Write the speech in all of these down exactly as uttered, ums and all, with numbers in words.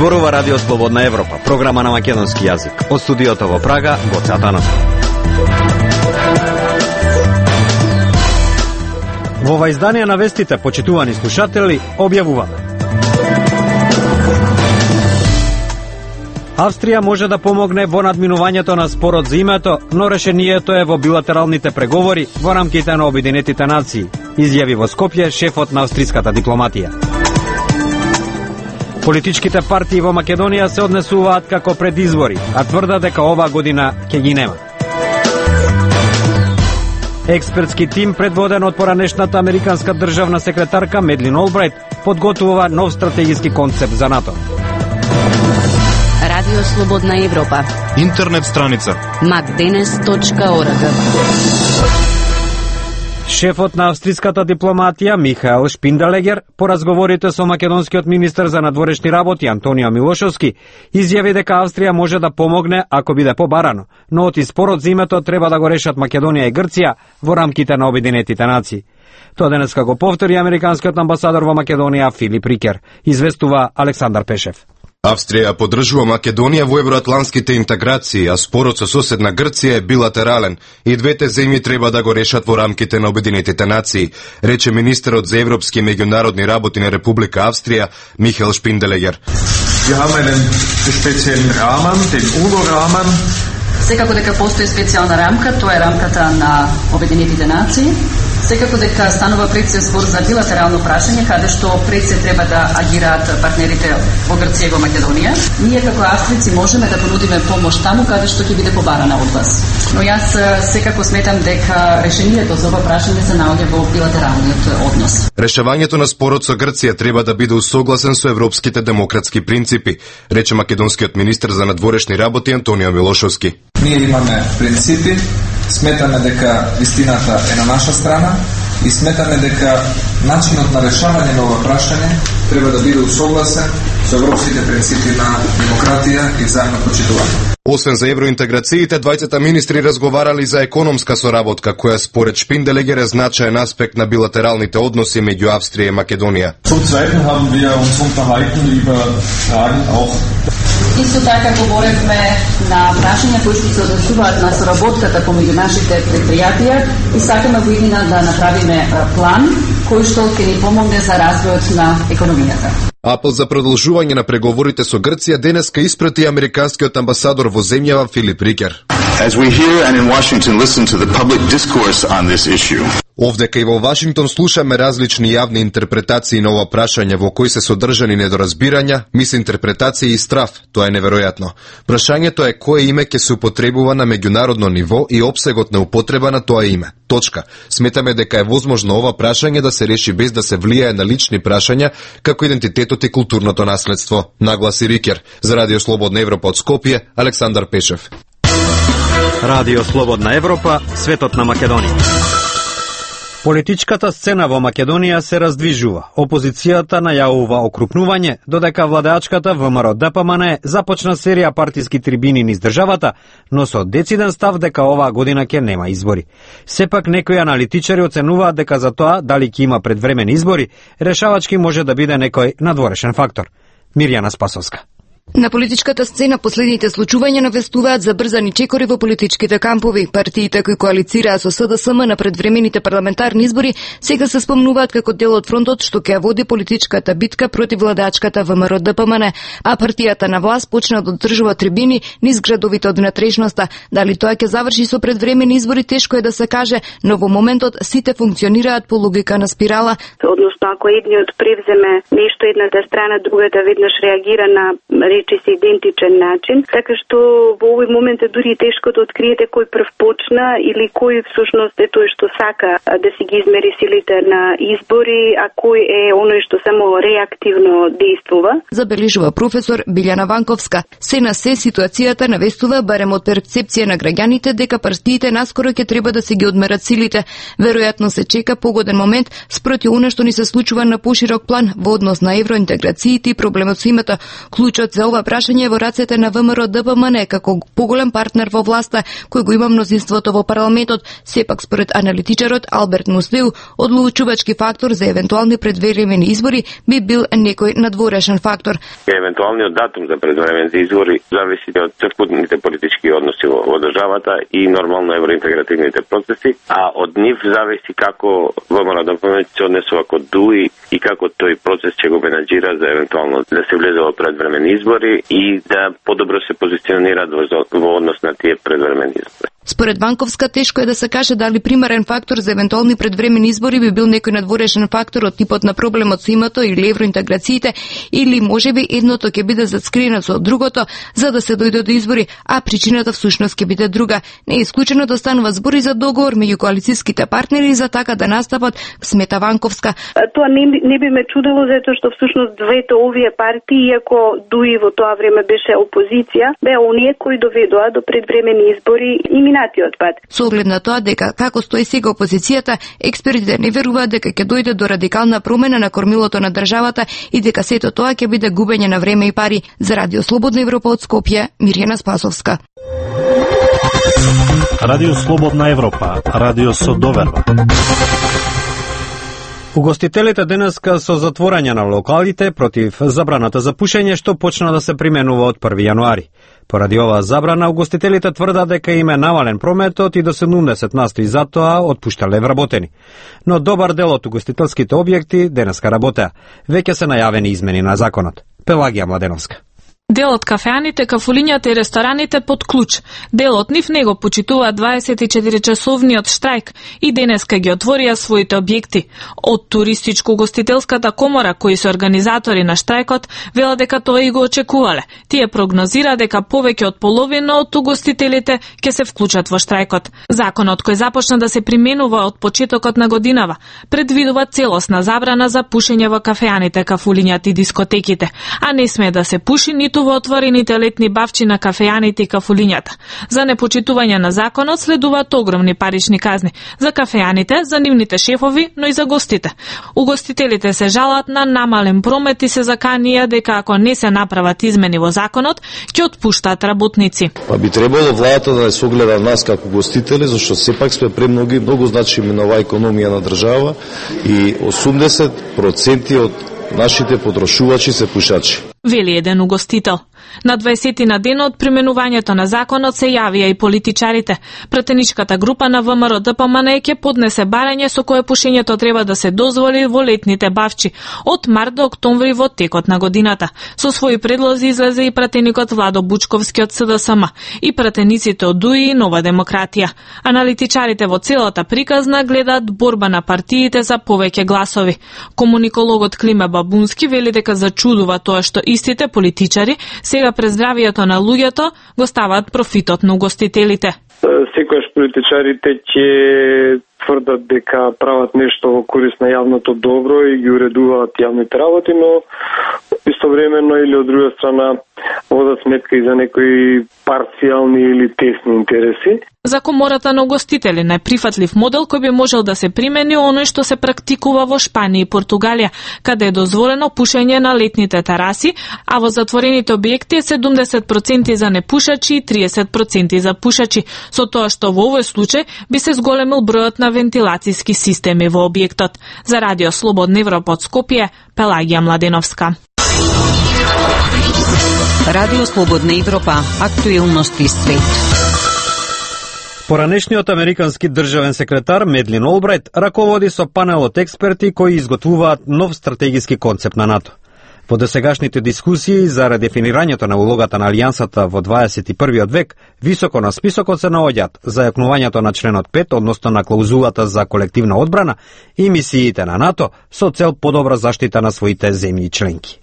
Зборува Радио Слободна Европа, програма на македонски јазик. Од студиото во Прага, Гоце Атанасов. Во ова издание на вестите, почитувани слушатели, објавуваме: Австрија може да помогне во надминувањето на спорот за името, но решението е во билатералните преговори во рамките на Обединетите нации, изјави во Скопје шефот на австриската дипломатија. Политичките партии во Македонија се однесуваат како пред избори, а тврда дека оваа година ќе ги нема. Експертски тим предводен од поранешната американска државна секретарка Медлин Олбрайт подготвува нов стратегиски концепт за НАТО. Радио Слободна Европа. Интернет страница макденес точка орг. Шефот на австриската дипломатија Михаел Шпинделегер по разговорите со македонскиот министер за надворешни работи Антонио Милошовски изјави дека Австрија може да помогне ако биде побарано, но оти спорот за името треба да го решат Македонија и Грција во рамките на Обединетите нации. Тоа денеска го повтори американскиот амбасадор во Македонија Филип Рикер, известува Александар Пешев. Австрија поддржува Македонија во евроатлантските интеграции, а спорот со соседна Грција е билатерален и двете земји треба да го решат во рамките на Обединетите нации, рече министерот за европски и меѓународни работи на Република Австрија Михаел Шпинделегер. Wir haben einen speziellen Rahmen, den UNO-Rahmen. Секако дека постои специјална рамка, тоа е рамката на Обединетите нации. Секако дека станува пред се збор за билатерално прашање, каде што пред се треба да агираат партнерите во Грција и во Македонија. Ние како австрици можеме да понудиме помош таму каде што ќе биде побарана од вас. Но јас секако сметам дека решението за ова прашање се наоѓа во билатералниот однос. Решавањето на спорот со Грција треба да биде усогласен со европските демократски принципи, рече македонскиот министер за надворешни работи Антонио Милошовски. Ние имаме принципи, сметаме дека вистината е на наша страна и сметаме дека начинот на решавање на ова прашање треба да биде усогласен со европските принципи на демократија и взаимно почитување. Освен за евроинтеграциите, двајцата министри разговарали за економска соработка, која според Шпинделегер е значаен аспект на билатералните односи меѓу Австрија и Македонија. Исто така говоревме на прашања кои што се однесуваат на соработката помеѓу нашите предпријатија и сакаме во иднина да направиме план кој што ќе ни помогне за развојот на економијата. Апел за продолжување на преговорите со Грција денеска испрати американскиот амбасадор во земјава Филип Рикер. As we hear and in Washington listen to the public discourse on this issue. Овдека и во Вашингтон слушаме различни јавни интерпретации на ова прашање во кои се содржани недоразбирања, мисинтерпретации и страф. Тоа е неверојатно. Прашањето е кое име ќе се употребува на меѓународно ниво и опсегот на употреба на тоа име. Точка. Сметаме дека е возможно ова прашање да се реши без да се влијае на лични прашања како идентитетот и културното наследство, нагласи Рикер. За Радио Слободна Европа од Скопје, Александар Пешев. Радио Слободна Европа, светот на Македонија. Политичката сцена во Македонија се раздвижува. Опозицијата најавува окрупнување, додека владеачката ВМРО Д П М Н започна серија партиски трибини низ државата, но со дециден став дека оваа година ќе нема избори. Сепак некои аналитичари оценуваат дека за тоа дали ќе има предвремени избори, решавачки може да биде некој надворешен фактор. Мирјана Спасовска. На политичката сцена последните случувања навестуваат забрзани чекори во политичките кампови. Партиите кои коалицираа со С Д С М на предвремените парламентарни избори сега се спомнуваат како дел од фронтот што ќе води политичката битка против владеачката ВМРО Д П М Н, а партијата на власт почна да одржува трибини низ градовите од внатрешноста. Дали тоа ќе заврши со предвремени избори, тешко е да се каже, но во моментот сите функционираат по логика на спирала. Односно, ако едниот превземе нешто едната страна, другата веднаш реагира на речи се идентичен начин, така што во овој момент е дури тешко да откриете кој прв почна или кој всушност е тој што сака да си ги измери силите на избори, а кој е оној што само реактивно действува. Забележува професор Билјана Ванковска. Се на се ситуацијата навестува барем од перцепција на граѓаните дека партиите наскоро ќе треба да се ги одмерат силите. Веројатно се чека погоден момент спроти она што ни се случува на поширок план во однос на евроинтеграциите и проблемот со името. Клучот за ова прашање во рацете на ВМРО-ДПМН како поголем партнер во власта, кој го има мнозинството во парламентот. Сепак според аналитичарот Алберт Мустеу, одлучувачки фактор за евентуални предвремени избори би бил некој надворешен фактор. Евентуалниот датум за предвремените избори зависи од црквените политички односи во, во државата и нормално евроинтегративните процеси, а од нив зависи како ВМРО-ДПМН се однесува кон ДУИ и како тој процес ќе го менаџира за евентуално да се влезе во предвремени избори и да подобро се позиционираат во, во однос на тие предвремени избори. Според Банковска, тешко е да се каже дали примерен фактор за евентуални предвремени избори би бил некој надворешен фактор од типот на проблемот со името или евроинтеграциите, или можеби едното ќе биде зацкриено со другото за да се дојде до избори, а причината всушност ќе биде друга. Не е исклучено да станува збори за договор меѓу коалицијските партнери за така да настапат, смета Банковска. Тоа не, не би ме чудело затоа што всушност двете овие партии, иако ДУИ во тоа време беше опозиција, беа оние кои доведоа до предвремени избори и минатиот пат. Со оглед на тоа дека како стои сега опозицијата, експертите не веруваат дека ќе дојде до радикална промена на кормилото на државата и дека сето тоа ќе биде губење на време и пари. За Радио Слободна Европа од Скопје, Мирјана Спасовска. Радио Слободна Европа, радио со доверба. Угостителите денеска со затворање на локалите против забраната за пушење што почна да се применува од први јануари. Поради оваа забрана, угостителите тврдат дека им е намален прометот и до седумдесет на сто и затоа отпуштале вработени. Но добар дел од угостителските објекти денеска работеа. Веќе се најавени измени на законот. Пелагија Младеновска. Дел од кафеаните, кафулињата и рестораните под клуч. Дел од нив него почитуваат дваесет и четири часовниот штрајк и денеска ги отворија своите објекти. Од туристичко-гостителската комора, кои се организатори на штрајкот, велат дека тоа и го очекувале. Тие прогнозира дека повеќе од половина од угостителите ќе се вклучат во штрајкот. Законот кој започна да се применува од почетокот на годинава предвидува целосна забрана за пушење во кафеаните, кафулињата и дискотеките, а не смее да се пуши ниту во отворените летни бавчи на кафеаните и кафулињата. За непочитување на законот следуваат огромни парични казни за кафеаните, за нивните шефови, но и за гостите. Угостителите се жалат на намален промет и се заканија дека ако не се направат измени во законот, ќе отпуштаат работници. Па би требало владата да не се огледа нас како гостители, зашто сепак сме премноги, многу значими на оваа економија на држава и осумдесет проценти од нашите потрошувачи се пушачи. Вели еден угостител. На дваесети на ден од применувањето на законот се јавија и политичарите. Пратеничката група на ВМРО-ДПМН ќе поднесе барање со кое пушењето треба да се дозволи во летните бавчи од март до октомври во текот на годината. Со своји предлози излезе и пратеникот Владо Бучковски од СДСМ и пратениците од ДУИ и Нова демократија. Аналитичарите во целата приказна гледаат борба на партиите за повеќе гласови. Комуникологот Климе Бабунски вели дека зачудува тоа што истите политичари сега през здравието на луѓето го ставаат профитот на угостителите. Секојаш политичарите ќе тврдат дека прават нешто во корист на јавното добро и ги уредуваат јавните работи, но истовремено или од друга страна водат сметка и за некои парцијални или тесни интереси. За комората на угостители најприфатлив модел кој би можел да се примени оној што се практикува во Шпанија и Португалија, каде е дозволено пушење на летните тераси, а во затворените објекти е седумдесет проценти за непушачи и триесет проценти за пушачи, со тоа што во овој случај би се зголемил бројот на вентилацијски системи во објектот. За Радио Слободна Европа од Скопје, Пелагија Младеновска. Радио Слободна Европа, актуелности свет. Поранешниот американски државен секретар Медлин Олбрайт раководи со панел од експерти кои изготвуваат нов стратегиски концепт на НАТО. Во досегашните дискусии за редефинирањето на улогата на Алијансата во дваесет и првиот век, високо на списокот се наоѓаат зајакнувањето на членот пет, односно на клаузулата за колективна одбрана и мисиите на НАТО со цел подобра заштита на своите земји членки.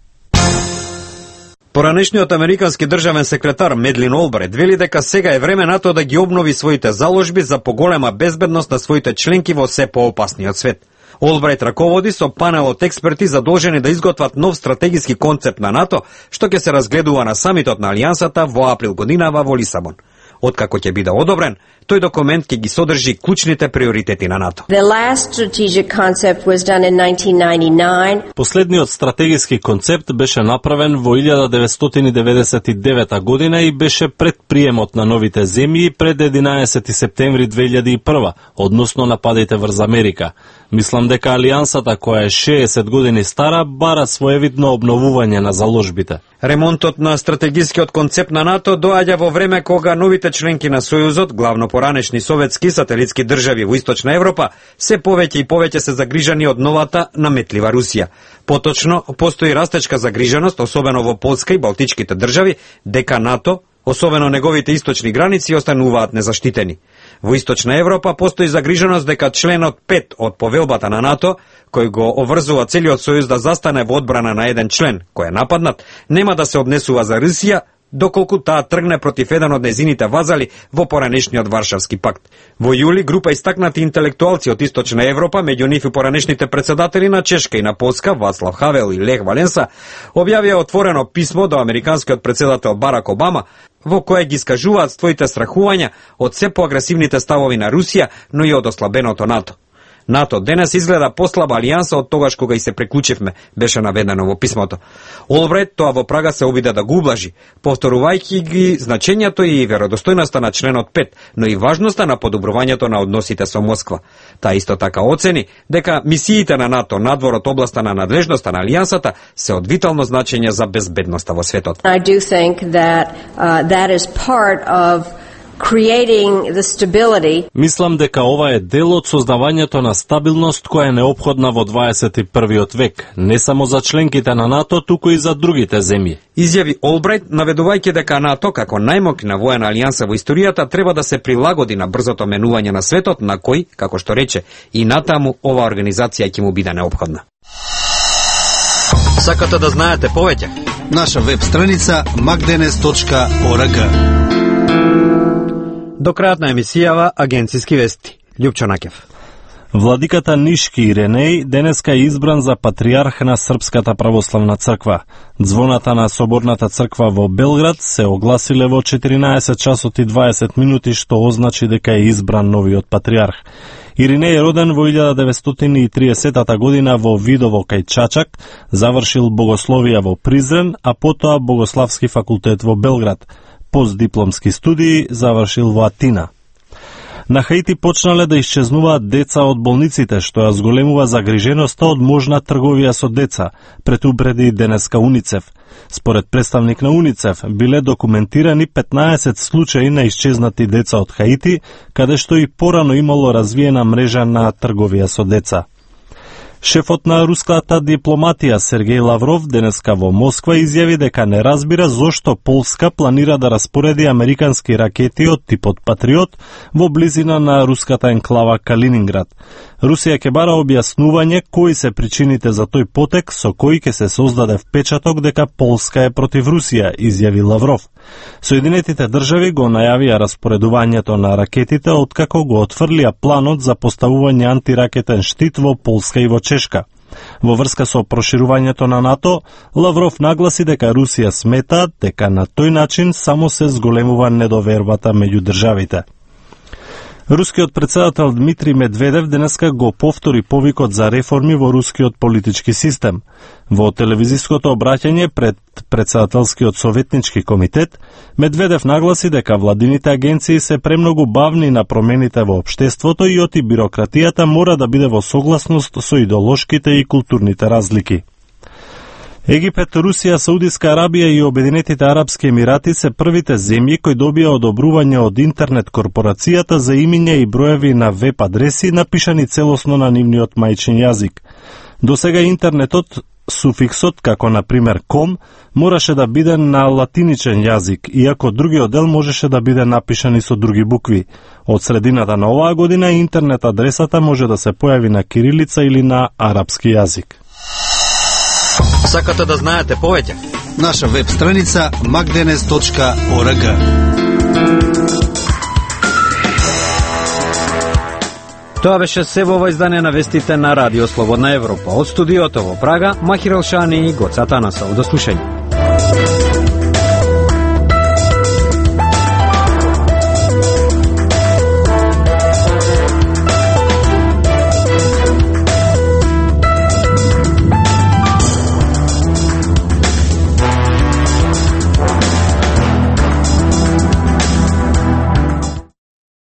Поранешниот американски државен секретар Медлин Олбрайт вели дека сега е време НАТО да ги обнови своите заложби за поголема безбедност на своите членки во се поопасниот свет. Олбрайт раководи со панел од експерти задолжени да изготват нов стратегиски концепт на НАТО, што ќе се разгледува на самитот на Алијансата во април годинава во Лисабон. Откако ќе биде одобрен, тој документ ќе ги содржи клучните приоритети на НАТО. The last strategic concept was done in nineteen ninety-nine. Последниот стратегиски концепт беше направен во илјада деветстотини деветдесет и девета година и беше пред приемот на новите земји пред единаесети септември две илјади и прва, односно нападите врз Америка. Мислам дека алијансата, која е шеесет години стара, бара своевидно обновување на заложбите. Ремонтот на стратегискиот концепт на НАТО доаѓа во време кога новите членки на Сојузот, главно поранешни советски сателитски држави во Источна Европа, се повеќе и повеќе се загрижани од новата наметлива Русија. Поточно, постои растечка загриженост, особено во Полска и Балтичките држави, дека НАТО, особено неговите источни граници, остануваат незаштитени. Во Источна Европа постои загриженост дека членот пет од повелбата на НАТО, кој го оврзува целиот Сојуз да застане во одбрана на еден член кој е нападнат, нема да се однесува за Русија, доколку таа тргне против еден од незините вазали во поранешниот Варшавски пакт. Во јули група истакнати интелектуалци од Источна Европа, меѓу нив и поранешните председатели на Чешка и на Полска, Вацлав Хавел и Лех Валенса, објавија отворено писмо до американскиот председател Барак Обама, во кое ги скажуваат своите страхувања од се поагресивните ставови на Русија, но и од ослабеното НАТО. НАТО денес изгледа послаба алијанса од тогаш кога и се приклучивме, беше наведено во писмото. Олбрайт тоа во Прага се обиде да го ублажи, повторувајќи ги значењето и веродостојноста на членот пет, но и важноста на подобрувањето на односите со Москва. Таа исто така оцени дека мисиите на НАТО надвор од областа на надлежноста на алијансата се од витално значење за безбедноста во светот. I do think that uh, that is part of creating the stability. Мислам дека ова е дел од создавањето на стабилност која е неопходна во дваесет и првиот век, не само за членките на НАТО, туку и за другите земји. Изјави Олбрайт, наведувајќи дека НАТО, како најмоќна воена алијанса во историјата, треба да се прилагоди на брзото менување на светот, на кој, како што рече, и натаму ова организација ќе му биде неопходна. Сакате да знаете повеќе? Наша веб страница макденес точка орг. До крајот на емисијава Агенциски вести. Љупчо Накев. Владиката Нишки Иренеј денеска е избран за патриарх на Српската православна црква. Звоната на Соборната црква во Белград се огласиле во четиринаесет часот и дваесет минути, што означи дека е избран новиот патриарх. Иринеј е роден во илјада деветстотини и триесета година во Видово кај Чачак, завршил богословија во Призрен, а потоа Богославски факултет во Белград. Постдипломски студии завршил во Атина. На Хаити почнале да исчезнуваат деца од болниците, што ја зголемува загриженоста од можна трговија со деца, предупреди денеска УНИЦЕФ. Според представник на УНИЦЕФ, биле документирани петнаесет случаи на исчезнати деца од Хаити, каде што и порано имало развиена мрежа на трговија со деца. Шефот на руската дипломатија Сергеј Лавров денеска во Москва изјави дека не разбира зошто Полска планира да распореди американски ракети од типот Патриот во близина на руската енклава Калининград. Русија ќе бара објаснување кои се причините за тој потек со кој ќе се создаде впечаток дека Полска е против Русија, изјави Лавров. Соединетите држави го најавија распоредувањето на ракетите откако го отфрлија планот за поставување антиракетен штит во Полска и во Чешка. Во врска со проширувањето на НАТО, Лавров нагласи дека Русија смета дека на тој начин само се зголемува недовербата меѓу државите. Рускиот председател Дмитрий Медведев денеска го повтори повикот за реформи во рускиот политички систем. Во телевизиското обраќање пред председателскиот советнички комитет, Медведев нагласи дека владините агенции се премногу бавни на промените во општеството и оти бирократијата мора да биде во согласност со идеолошките и културните разлики. Египет, Русија, Саудиска Арабија и Обединетите Арапски Емирати се првите земји кои добија одобрување од интернет корпорацијата за имиња и броеви на веб адреси напишани целосно на нивниот мајчин јазик. До сега интернетот, суфиксот, како на пример ком, мораше да биде на латиничен јазик, иако другиот дел можеше да биде напишан и со други букви. Од средината на оваа година интернет адресата може да се појави на кирилица или на арапски јазик. Сакате да знаете повеќе? Наша веб страница макденес точка орг. Тоа беше се во ова издание на вестите на Радио Слободна Европа. Од студиото во Прага, Махир Елшани и Гоца Танасов. До слушање.